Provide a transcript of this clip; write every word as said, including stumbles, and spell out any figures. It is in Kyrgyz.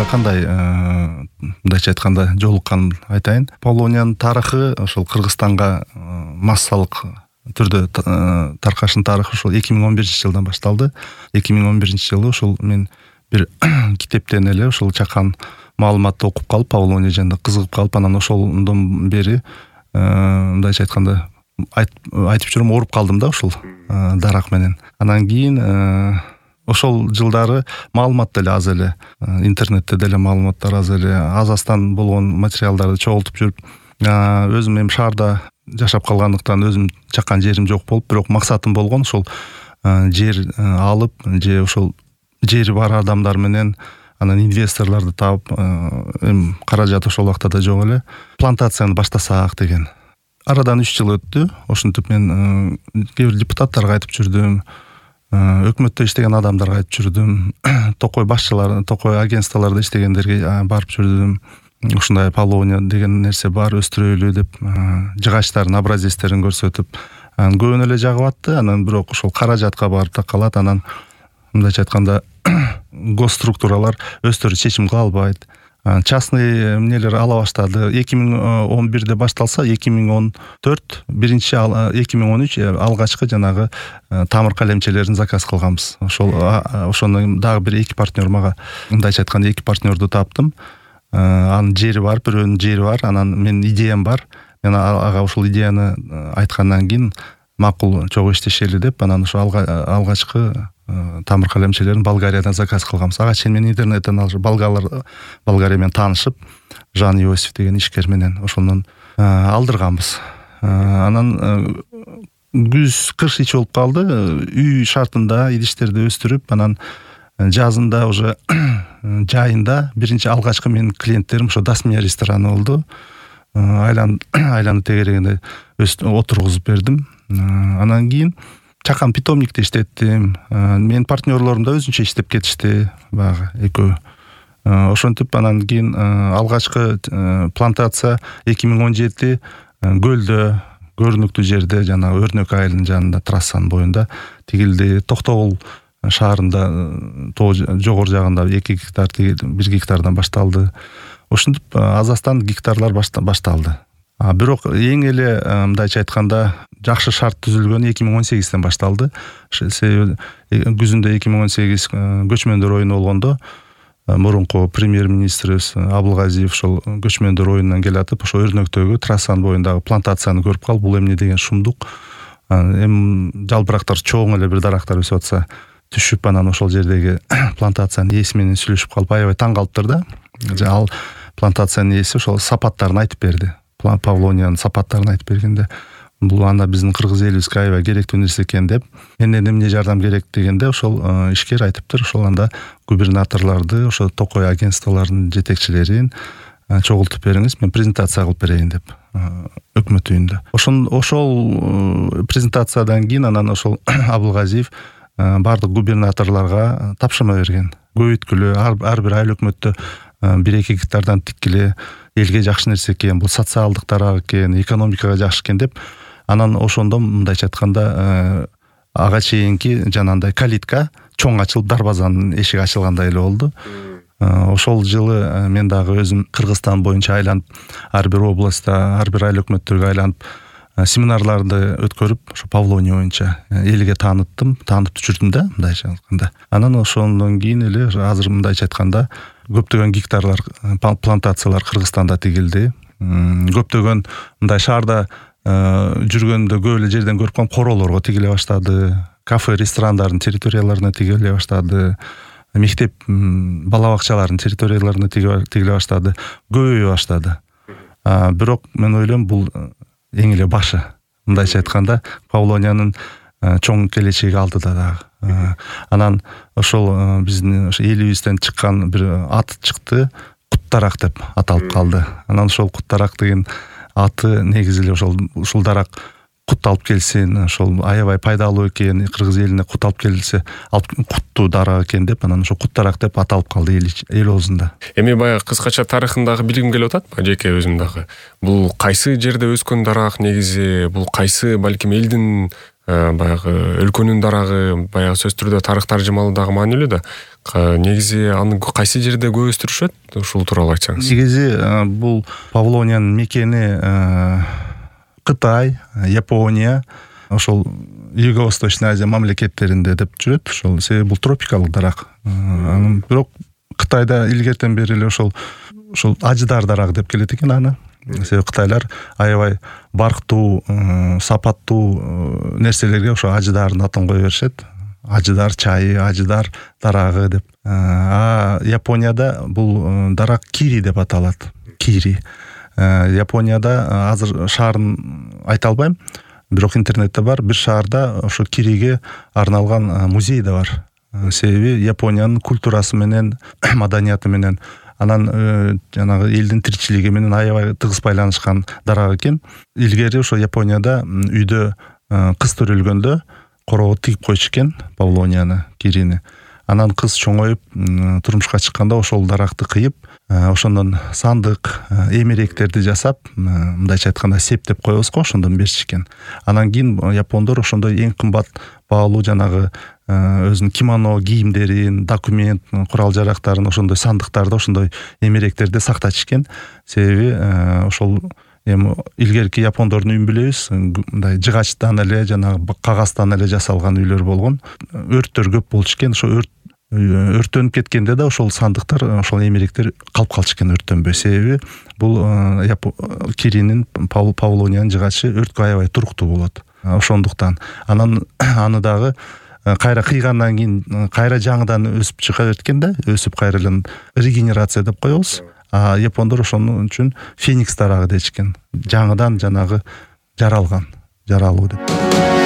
Павлонияга кандай мындайча айтканда жолукканын айтайын. Павлониянын тарыхы ошол Кыргызстанга массалык түрдө таркашын тарыхы ошол эки миң он биринчи жылдан башталды. эки миң он биринчи жылы ошол мен бир китептен эле ошол чакан маалыматты окуп калып, Павлония жөнүндө кызыгып калып, анан ошондон бери мындайча айтканда айтып жүрөм, ооруп калдым да ушул дарак менен. Анан кийин ошол жылдары маалымат деле аз эле, интернетте деле маалыматтар аз эле, аз-аздан болгон материалдарды чогултуп жүрүп, өзүм эми шаарда жашап калгандыктан өзүм чаккан жерим жок болуп, бирок максатым болгон ошол жер алып, же ошол жери бар адамдар менен анан инвесторлорду таап, эми каражат ошол убакта да жок эле, плантацияны баштасак деген. Арадан үч жыл өттү. Ошентип мен кээ бир депутаттарга айтып жүрдүм, өкмөттө иштеген адамдарга айтып жүрдүм, токой башчылар, токой агентстволордо иштегендерге барып жүрдүм. Ушундай Павлония деген нерсе бар, өстүрөлү деп жыгачтардын образецтерин көрсөтүп, көбүнө эле жагып атты. Анан бирок ошол каражатка барып такалат. Анан мындайча айтканда гос структуралар өздөрү чечим кыла албайт. Частный эмнелер ала баштады. эки миң он бирде башталса, эки миң он төрт, биринчи эки миң он үч алгачкы жанагы тамыр калемчелерин заказ кылганбыз. Ошол ошону дагы бир эки партнер мага, мындайча айтканда эки партнерду таптым. Анын жери бар, бирөөнүн жери бар, анан менин идеям бар. Мен ага ошол идеяны айткандан кийин макул чогуу иштешели деп, анан ошо алгачкы тамыр калемчелерин Болгариядан заказ кылганбыз. Ага чейин мен интернеттен алып, болгарлар Болгария менен таанышып, Жан Иосиф деген ишкер менен ошондон алдырганбыз. Анан күз кыш ич болуп калды. Үй шартында идиштерди өстүрүп, анан жазында уже жайында биринчи алгачкы менин клиенттерим ошо Дасмия рестораны болду. Айлан айланы тегерегинде отургузуп бердим. Анан кийин чакан питомникте иштеттим. Менин партнерлорум да өзүнчө иштеп кетишти, баягы экөө. Ошентип анан кийин алгачкы плантация эки миң он жети көлдө, көрүнүктүү жерде, жана Өрнөк айылынын жанында, трассанын боюнда тигилди. Токтогул шаарында жогору жагында эки гектар, бир гектардан башталды. Ошентип аз-аздан гектарлар башталды. Бирок эң эле мындайча айтканда жакшы шарт түзүлгөн эки миң он сегизден башталды. Себеби күзүндө эки миң он сегиз көчмөндөр оюну болгондо мурунку премьер-министрибиз Абылгазиев ошол көчмөндөр оюнунан келатып, ошо Өрнөктөгү трассанын боюндагы плантацияны көрүп калып, бул эмне деген шумдук. Эми жалбырактар чоң эле бир дарактар өсүп атса, түшүп, анан ошол жердеги плантациянын ээси менен сүйлөшүп калып, аябай таң калыптыр да. Ал плантациянын ээси ошол сапаттарын айтып берди. Павлониянын сапаттарын айтып бергенде, бул анда биздин кыргыз элибизге аябай керектүү нерсе экен деп, менден эмне жардам керек дегенде, ошол ишкер айтыптыр, ошол анда губернаторлорду, ошо токой агентстволордун жетекчилерин чогултуп бериңиз, мен презентация кылып берейин деп, өкмөт үйүндө. Ошол ошол презентациядан кийин анан ошол Абылгазиев бардык губернаторлорго тапшырма берген. Көбөйткүлө, ар бир айыл өкмөттө бир эки гектардан тиккиле, элге жакшы нерсе экен, бул социалдык тарап экен, экономикага жакшы экен деп, анан ошондо мындайча айтканда ага чейинки жанагындай калитка чоң ачылып, дарбазанын эшиги ачылгандай эле болду. Ошол жылы мен дагы өзүм Кыргызстан боюнча айланып, ар бир областта, ар бир айыл өкмөттөргө айланып, семинарларды өткөрүп, ошо Павлония боюнча элге тааныттым, таанытып жүрдүм да, мындайча айтканда. Анан ошондон кийин эле азыр мындайча айтканда көптөгөн гектарлар, плантациялар Кыргызстанда тигилди. Көптөгөн мындай шаарда жүргөндө көп эле жерден көрүп калгам, короолорго тигиле баштады, кафе, ресторандардын территорияларына тигиле баштады, мектеп, бала бакчалардын территорияларына тигиле баштады, көбөйө баштады. Бирок мен ойлойм, бул эң эле башы. Мындайча айтканда, Павлониянын чоң келечеги алдыда дагы. Анан ошол биздин элибизден чыккан бир ат чыкты, Куттарак деп аталып калды. Анан ошол Куттарак деген аты негизи эле ошол ушул дарак кут алып келсин, ошол аябай пайдалуу экен, кыргыз элине кут алып келсе, куттуу дарак экен деп, анан ошо Куттарак деп аталып калды эл оозунда. Эми баягы кыскача тарыхын дагы билгим келип атат, жеке өзүм дагы. Бул кайсы жерде өскөн дарак негизи, бул кайсы балким элдин баягы өлкөнүн дарагы баягы сөзсүз түрдө тарых таржымалуу дагы маанилүү да. Негизи аны кайсы жерде көп өстүрүшөт? Ушул тууралуу айтсаңыз. Негизи бул Павлониянын мекени Кытай, Япония, ошол Юго-Восточный Азия мамлекеттеринде деп жүрөт. Ошол себеби бул тропикалык дарак. Бирок Кытайда илгертен бери эле ошол ошол ажыдар дарак деп келет экен аны. Себеби кытайлар аябай барктуу, сапаттуу нерселерге ошо ажыдардын атын кое беришет. Ажыдар чайы, ажыдар дарагы деп. А Японияда бул дарак кири деп аталат. Кири. Японияда азыр шаарын айта албайм, бирок интернетте бар. Бир шаарда ошо кириге арналган музей да бар. Себеби Япониянын культурасы менен, маданияты менен, анан жанагы элдин тиричилиги менен аябай тыгыз байланышкан дарак экен. Илгери ошо Японияда үйдө кыз төрөлгөндө короого тигип койчу экен Павлонияны, кирини. Анан кыз чоңоюп турмушка чыкканда ошол даракты кыйып, ошондон сандык, эмеректерди жасап, мындайча айтканда септеп коебуз го, ошондон беришкен. Анан кийин япондор ошондой эң кымбат баалуу жанагы өзүнүн кимоно кийимдерин, документ, курал-жарактарын ошондой сандыктарда, ошондой эмеректерде сакташышкен. Себеби ошол эми илгерки япондордун үйүн билебиз, мындай жыгачтан эле, жанагы кагаздан эле жасалган үйлөр болгон. Өрттөр көп болчу экен. Ошо өрт өрттөнүп кеткенде да ошол сандыктар, ошол эмеректер калып калчу экен өрттөнбөй. Себеби бул киринин, Павлониянын жыгачы өрткө аябай туруктуу болот. Ошондуктан анан аны дагы кайра кыйгандан кийин кайра жаңыдан өсүп чыга берет экен да, өсүп кайра эле регенерация деп коебуз. А япондор ошону үчүн феникс дарагы дечкен. Жаңыдан жанагы жаралган, жаралуу деп.